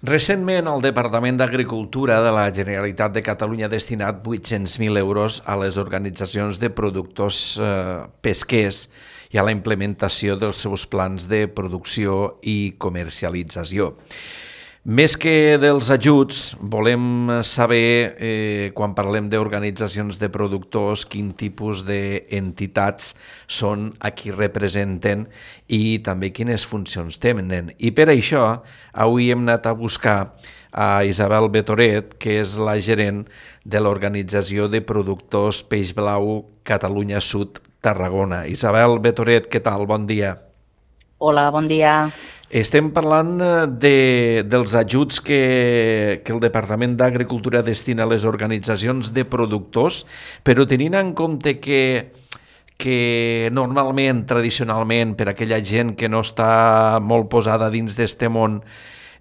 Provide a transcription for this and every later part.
Recentment, el Departament d'Agricultura de la Generalitat de Catalunya ha destinat 800.000 euros a les organitzacions de productors pesquers i a la implementació dels seus plans de producció i comercialització. Més que dels ajuts, volem saber, quan parlem d'organitzacions de productors, quin tipus d'entitats són a qui representen i també quines funcions tenen. I per això, avui hem anat a buscar a Isabel Betoret, que és la gerent de l'Organització de Productors Peix Blau Catalunya Sud Tarragona. Isabel Betoret, què tal? Bon dia. Hola, bon dia. Estem parlant dels ajuts que el Departament d'Agricultura destina a les organitzacions de productors, però tenint en compte que normalment, tradicionalment, per aquella gent que no està molt posada dins d'este món,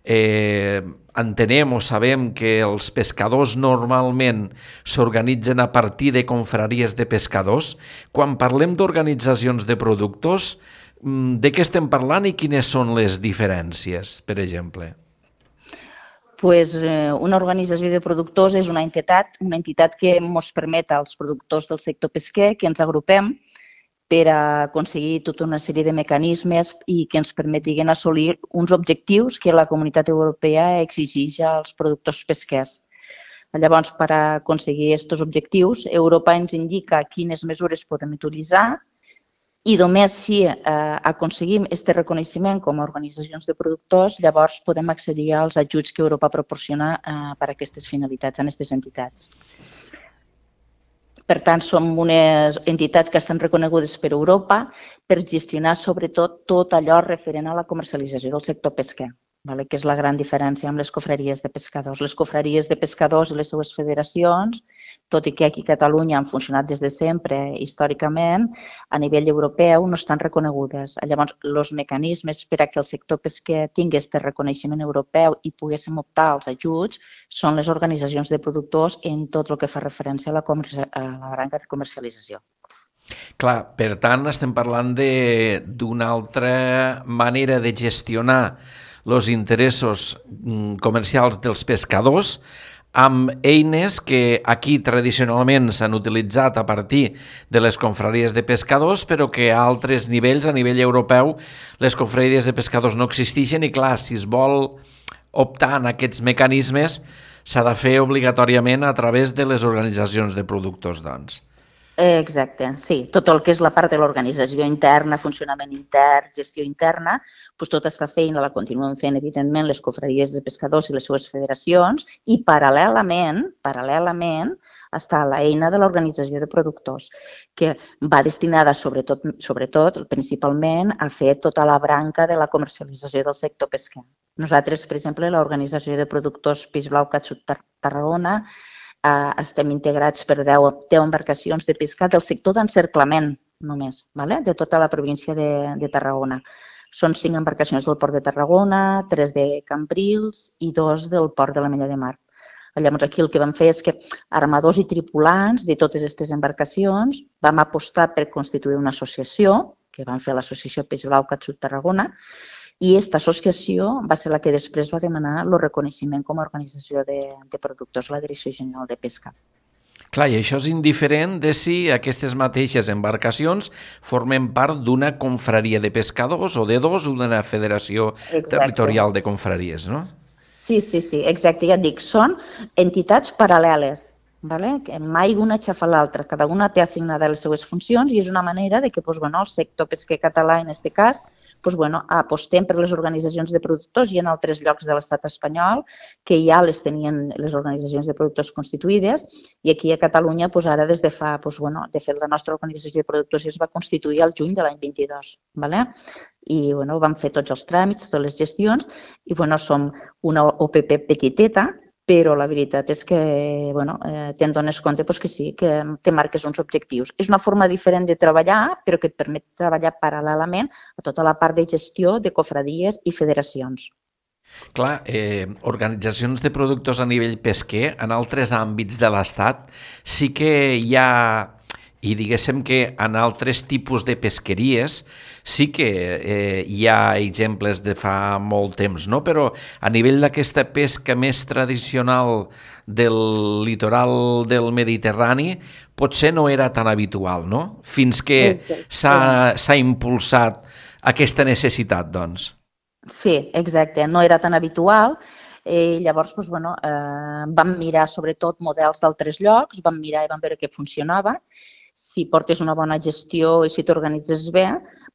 entenem o sabem que els pescadors normalment s'organitzen a partir de confraries de pescadors. Quan parlem d'organitzacions de productors, de què estem parlant i quines són les diferències, per exemple? Una organització de productors és una entitat que ens permet als productors del sector pesquer que ens agrupem per aconseguir tota una sèrie de mecanismes i que ens permetin assolir uns objectius que la Comunitat Europea exigeix als productors pesquers. Llavors, per aconseguir aquests objectius, Europa ens indica quines mesures podem utilitzar i només si aconseguim aquest reconeixement com a organitzacions de productors, llavors podem accedir als ajuts que Europa proporciona per a aquestes finalitats en aquestes entitats. Per tant, som unes entitats que estan reconegudes per Europa per gestionar sobretot tot allò referent a la comercialització del sector pesquer, que és la gran diferència amb les confraries de pescadors. Les confraries de pescadors i les seues federacions, tot i que aquí a Catalunya han funcionat des de sempre, històricament, a nivell europeu no estan reconegudes. Llavors, els mecanismes per a que el sector pesquer tingui aquest reconeixement europeu i poguéssim optar als ajuts són les organitzacions de productors en tot el que fa referència a la branca de comercialització. Clar, per tant, estem parlant d'una altra manera de gestionar els interessos comercials dels pescadors amb eines que aquí tradicionalment s'han utilitzat a partir de les confraries de pescadors, però que a altres nivells, a nivell europeu, les confraries de pescadors no existeixen i, clar, si es vol optar en aquests mecanismes, s'ha de fer obligatòriament a través de les organitzacions de productors, doncs. Exacte, sí. Tot el que és la part de l'organització interna, funcionament intern, gestió interna, tota aquesta feina la continuen fent, evidentment, les confraries de pescadors i les seues federacions i paral·lelament està l'eina de l'organització de productors, que va destinada sobretot, principalment, a fer tota la branca de la comercialització del sector pesquer. Nosaltres, per exemple, l'Organització de Productors Peix Blau Catxut Tarragona, estem integrats per 10 embarcacions de pesca del sector d'encerclament només, de tota la província de Tarragona. Són 5 embarcacions del Port de Tarragona, 3 de Cambrils i 2 del Port de l'Ametlla de Mar. Llavors, aquí el que vam fer és que armadors i tripulants de totes aquestes embarcacions vam apostar per constituir una associació, que vam fer l'Associació Peix Blau Catxut Tarragona, i aquesta associació va ser la que després va demanar el reconeixement com a organització de productors a la Direcció General de Pesca. Clar, i això és indiferent de si aquestes mateixes embarcacions formen part d'una confraria de pescadors o de dos o d'una federació territorial de confraries, no? Sí, exacte, ja et dic, són entitats paral·leles, que mai una aixafa l'altra, cada una té assignades les seues funcions i és una manera de que el sector pesquer català, en aquest cas, apostem per les organitzacions de productors i en altres llocs de l'estat espanyol que ja les tenien les organitzacions de productors constituïdes i aquí a Catalunya ara des de fa, de fet la nostra organització de productors es va constituir al juny de l'any 22, i vam fer tots els tràmits, totes les gestions i som una OPP petiteta, però la veritat és que te'n dones compte que sí, que te marques uns objectius. És una forma diferent de treballar, però que et permet treballar paral·lelament a tota la part de gestió de cofradies i federacions. Clar, organitzacions de productors a nivell pesquer, en altres àmbits de l'Estat, sí que hi ha I diguéssim que en altres tipus de pesqueries sí que hi ha exemples de fa molt temps, no? Però a nivell d'aquesta pesca més tradicional del litoral del Mediterrani potser no era tan habitual, no? Fins que Exacte. s'ha impulsat aquesta necessitat, doncs. Sí, exacte. No era tan habitual. Llavors, doncs, bueno, vam mirar sobretot models d'altres llocs, vam mirar i vam veure que funcionava. Si portes una bona gestió i si t'organitzes bé,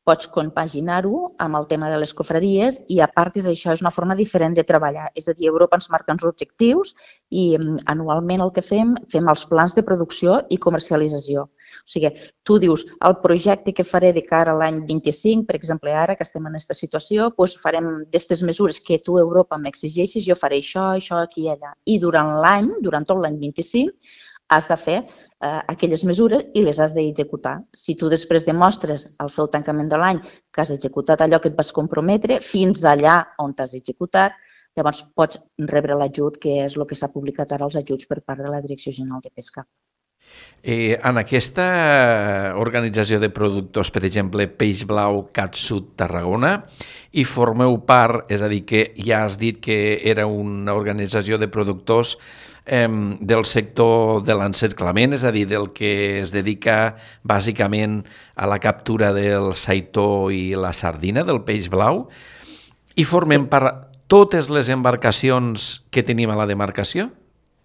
pots compaginar-ho amb el tema de les confraries i, a part d'això, és una forma diferent de treballar. És a dir, Europa ens marca uns objectius i anualment el que fem els plans de producció i comercialització. O sigui, tu dius, el projecte que faré de cara a l'any 25, per exemple, ara que estem en aquesta situació, doncs farem aquestes mesures que tu, Europa, m'exigeixis, jo faré això, això, aquí i allà. I durant l'any, durant tot l'any 25, has de fer aquelles mesures i les has d'executar. Si tu després demostres al fer el tancament de l'any que has executat allò que et vas comprometre fins allà on t'has executat, llavors pots rebre l'ajut, que és el que s'ha publicat ara, els ajuts per part de la Direcció General de Pesca. En aquesta organització de productors, per exemple, Peix Blau Catsut Tarragona, i formeu part, és a dir, que ja has dit que era una organització de productors del sector de l'encerclament, és a dir, del que es dedica bàsicament a la captura del saitó i la sardina, del peix blau, i formem part totes les embarcacions que tenim a la demarcació?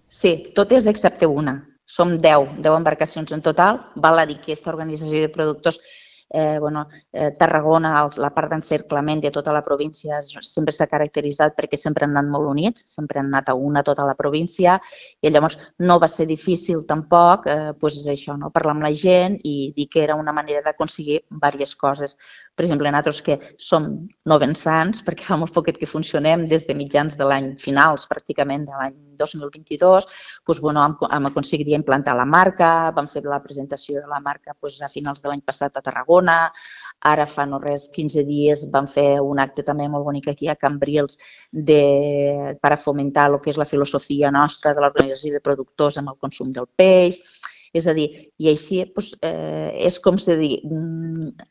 Sí, totes excepte una. Som 10 embarcacions en total. Val a dir que aquesta organització de productors Tarragona, la part d'encerclament de tota la província, sempre s'ha caracteritzat perquè sempre han anat molt units, sempre han anat a una tota la província, i llavors no va ser difícil tampoc això, parlar amb la gent i dir que era una manera d'aconseguir diverses coses. Per exemple, nosaltres que som novensans, perquè fa molt poquet que funcionem, des de mitjans de l'any finals, pràcticament de l'any 2022, hem aconseguit implantar la marca, vam fer la presentació de la marca a finals de l'any passat a Tarragona. Ara fa no res, 15 dies, vam fer un acte també molt bonic aquí a Cambrils per a fomentar el que és la filosofia nostra de l'organització de productors amb el consum del peix. És a dir, i així és com si dir,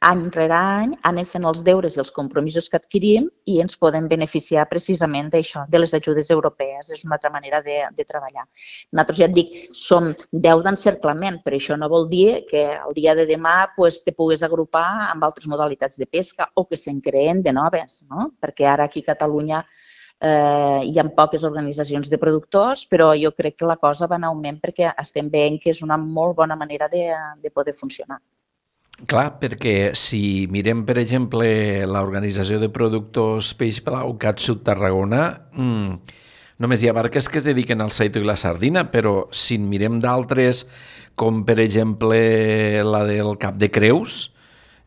any rere any anem fent els deures i els compromisos que adquirim i ens podem beneficiar precisament d'això, de les ajudes europees. És una altra manera de treballar. Nosaltres, ja et dic, som 10 d'encerclament, però això no vol dir que el dia de demà te puguis agrupar amb altres modalitats de pesca o que se'n creen de noves, no? Perquè ara aquí a Catalunya hi ha poques organitzacions de productors, però jo crec que la cosa va en augment perquè estem veient que és una molt bona manera de poder funcionar. Clar, perquè si mirem, per exemple, l'organització de productors Peix Blau Catsut Tarragona, només hi ha barques que es dediquen al saitó i la sardina, però si mirem d'altres, com per exemple la del Cap de Creus,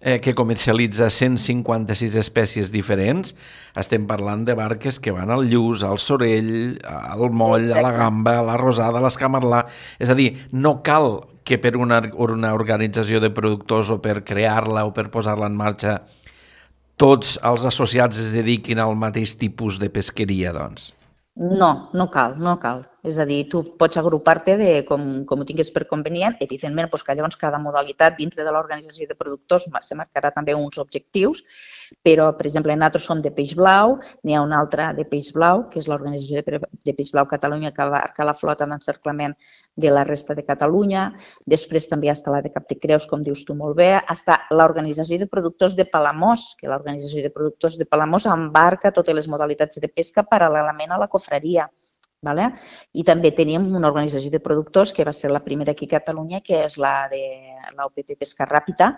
que comercialitza 156 espècies diferents, estem parlant de barques que van al lluç, al sorell, al moll, a la gamba, a la rosada, a l'escamarlà. És a dir, no cal que per una organització de productors o per crear-la o per posar-la en marxa tots els associats es dediquin al mateix tipus de pesqueria, doncs. No, no cal, no cal. És a dir, tu pots agrupar-te com ho tinguis per convenient. Evidentment, que llavors cada modalitat dintre de l'organització de productors se marcarà també uns objectius, però, per exemple, nosaltres som de Peix Blau, n'hi ha una altra de Peix Blau, que és l'organització de Peix Blau Catalunya, que abarca la flota d'encerclament de la resta de Catalunya. Després també hi ha la de Cap de Creus, com dius tu molt bé. Està l'organització de productors de Palamós, que l'organització de productors de Palamós embarca totes les modalitats de pesca paral·lelament a la confraria. I també tenim una organització de productors que va ser la primera aquí a Catalunya, que és la de l'OPP Pesca Ràpida,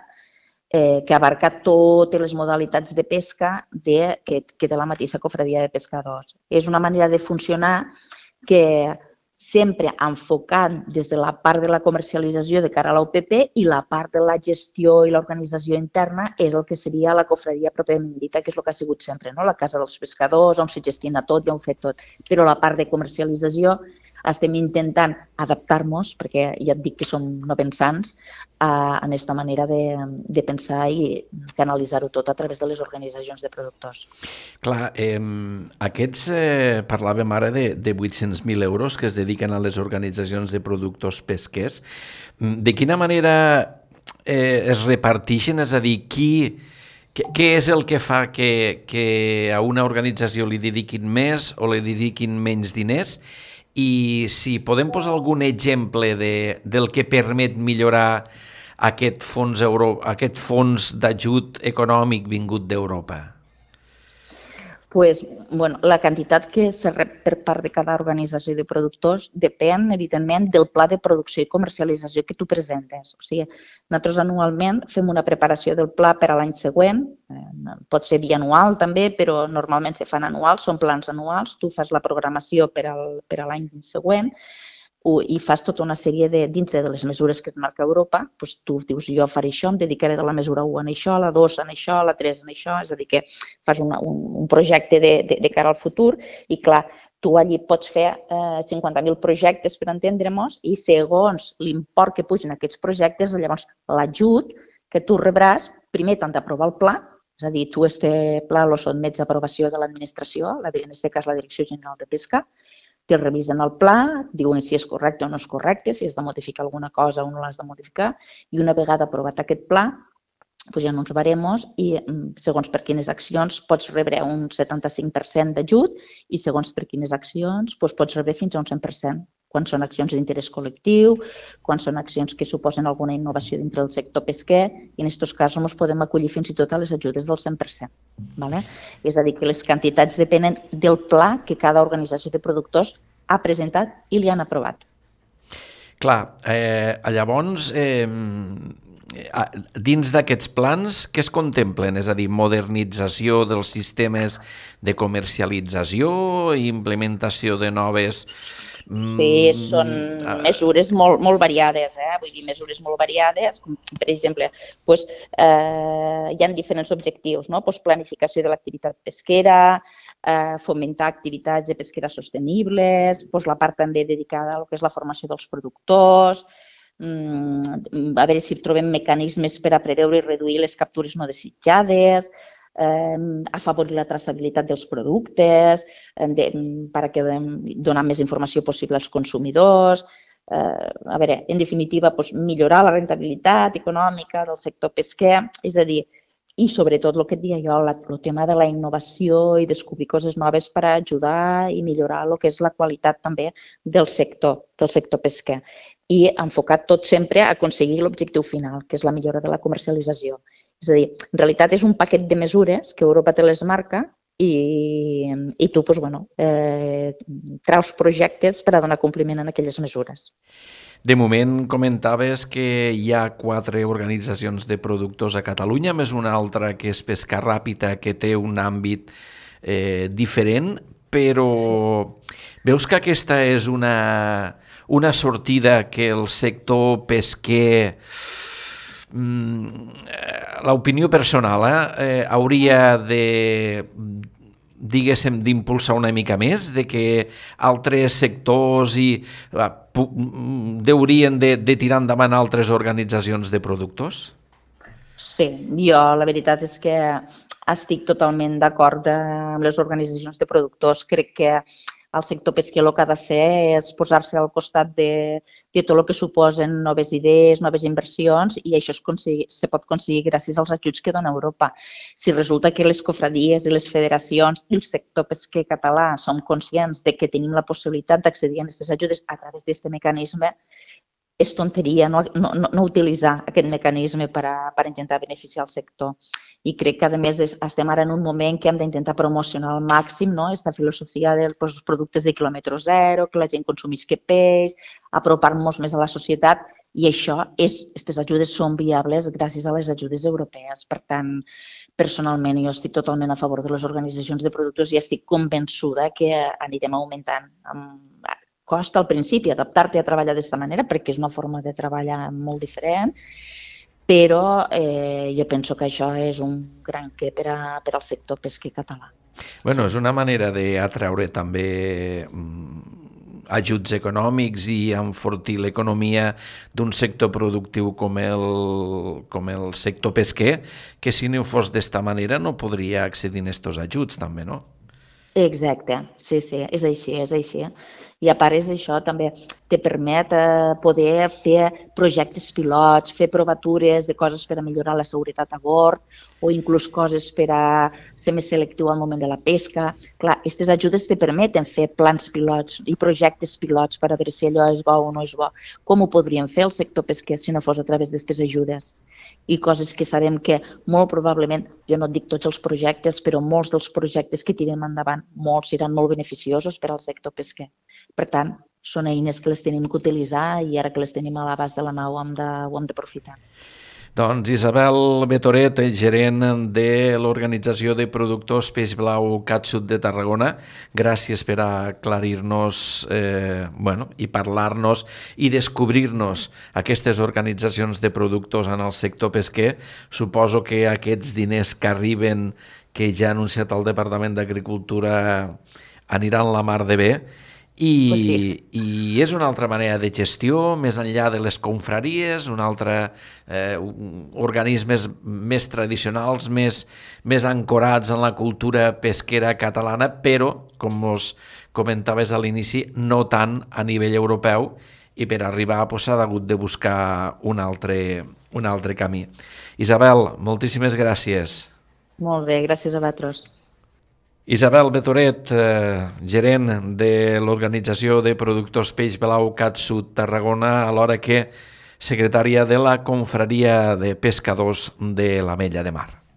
que abarca totes les modalitats de pesca que té la mateixa confraria de pescadors. És una manera de funcionar que sempre enfocant des de la part de la comercialització de cara a l'OPP i la part de la gestió i l'organització interna és el que seria la confraria pròpiament dita, que és el que ha sigut sempre, la casa dels pescadors, on se gestiona tot i on fet tot. Però la part de comercialització estem intentant adaptar-nos, perquè ja et dic que som no pensants, a aquesta manera de pensar i canalitzar-ho tot a través de les organitzacions de productors. Clar, aquests, parlàvem ara de 800.000 euros que es dediquen a les organitzacions de productors pesquers. De quina manera es reparteixen? És a dir, què és el que fa que a una organització li dediquin més o li dediquin menys diners? I si podem posar algun exemple del que permet millorar aquest fons d'ajut econòmic vingut d'Europa? Pues, bueno, la quantitat que se rep per part de cada organització de productors depèn, evidentment, del pla de producció i comercialització que tu presentes. O sigui, nosaltres anualment fem una preparació del pla per a l'any següent, pot ser bianual també, però normalment se fan anuals, són plans anuals, tu fas la programació per a l'any següent, i fas tota una sèrie dintre de les mesures que et marca Europa, doncs tu dius, jo faré això, em dedicaré de la mesura 1 en això, la 2 en això, la 3 en això, és a dir, que fas un projecte de cara al futur i, clar, tu allí pots fer 50.000 projectes, per entendre-nos, i segons l'import que pugen aquests projectes, llavors l'ajut que tu rebràs, primer t'han d'aprovar el pla, és a dir, tu este pla lo sotmets a aprovació de l'administració, en aquest cas la Direcció General de Pesca, te revisen el pla, diuen si és correcte o no és correcte, si has de modificar alguna cosa o no l'has de modificar, i una vegada aprovat aquest pla, doncs hi ha uns baremos i segons per quines accions pots rebre un 75% d'ajut i segons per quines accions doncs pots rebre fins a un 100%. Quan són accions d'interès col·lectiu, quan són accions que suposen alguna innovació dintre del sector pesquer, i en aquests casos ens podem acollir fins i tot a les ajudes del 100%. Vale? És a dir, que les quantitats depenen del pla que cada organització de productors ha presentat i li han aprovat. Clar, llavors, dins d'aquests plans, què es contemplen? És a dir, modernització dels sistemes de comercialització, implementació de noves... Sí, són mesures molt variades, vull dir, mesures molt variades, com per exemple, doncs, hi ha diferents objectius, no? Doncs planificació de l'activitat pesquera, fomentar activitats de pesquera sostenibles, doncs la part també dedicada a lo que és la formació dels productors, a veure si trobem mecanismes per a preveure i reduir les captures no desitjades, afavorir la traçabilitat dels productes, per donar més informació possible als consumidors. A veure, en definitiva, millorar la rentabilitat econòmica del sector pesquer, és a dir, i sobretot el que et deia jo, el tema de la innovació i descobrir coses noves per ajudar i millorar el que és la qualitat també del sector pesquer. I enfocat tot sempre a aconseguir l'objectiu final, que és la millora de la comercialització. És a dir, en realitat és un paquet de mesures que Europa te les marca i tu traus projectes per a donar compliment a aquelles mesures. De moment comentaves que hi ha 4 organitzacions de productors a Catalunya, més una altra que és Pesca Ràpida, que té un àmbit diferent, però veus que aquesta és una sortida que el sector pesquer, l'opinió personal, hauria de, diguéssim, d'impulsar una mica més, de que altres sectors haurien de tirar endavant altres organitzacions de productors? Sí, jo la veritat és que estic totalment d'acord amb les organitzacions de productors. Crec que el sector pesquer el que ha de fer és posar-se al costat de tot el que suposen noves idees, noves inversions, i això se pot aconseguir gràcies als ajuts que dona Europa. Si resulta que les cofradies i les federacions i el sector pesquer català som conscients de que tenim la possibilitat d'accedir a aquestes ajudes a través d'aquest mecanisme, és tonteria no utilitzar aquest mecanisme per intentar beneficiar el sector. I crec que, a més, estem ara en un moment que hem d'intentar promocionar al màxim aquesta filosofia dels productes de quilòmetre zero, que la gent consumisca peix, apropar-nos més a la societat, i aquestes ajudes són viables gràcies a les ajudes europees. Per tant, personalment, jo estic totalment a favor de les organitzacions de productors i estic convençuda que anirem augmentant. Costa al principi adaptar-te a treballar d'aquesta manera perquè és una forma de treballar molt diferent, però jo penso que això és un gran què per al sector pesquer català. Bueno, és una manera d'atraure també ajuts econòmics i enfortir l'economia d'un sector productiu com el sector pesquer, que si no fos d'esta manera no podria accedir a aquests ajuts també, no? Exacte, sí, és així, és així. I a part és això, també te permet poder fer projectes pilots, fer provatures de coses per a millorar la seguretat a bord o inclús coses per a ser més selectiu al moment de la pesca. Clar, aquestes ajudes te permeten fer plans pilots i projectes pilots per a veure si allò és bo o no és bo. Com ho podríem fer el sector pesquer si no fos a través d'aquestes ajudes? I coses que sabem que molt probablement, jo no et dic tots els projectes, però molts dels projectes que tirem endavant, molts seran molt beneficiosos per al sector pesquer. Per tant, són eines que les tenim que utilitzar i ara que les tenim a l'abast de la mà ho hem d'aprofitar. Doncs Isabel Betoret, gerent de l'Organització de Productors Peix Blau Catxut de Tarragona, gràcies per aclarir-nos i parlar-nos i descobrir-nos aquestes organitzacions de productors en el sector pesquer. Suposo que aquests diners que arriben, que ja ha anunciat el Departament d'Agricultura, aniran la mar de bé. I és una altra manera de gestió, més enllà de les confraries, organismes més tradicionals, més ancorats en la cultura pesquera catalana, però, com us comentaves a l'inici, no tant a nivell europeu, i per arribar s'ha hagut de buscar un altre camí. Isabel, moltíssimes gràcies. Molt bé, gràcies a vosaltres. Isabel Betoret, gerent de l'Organització de Productors Peix Blau Catxut Tarragona, alhora que secretària de la Confraria de Pescadors de l'Ametlla de Mar.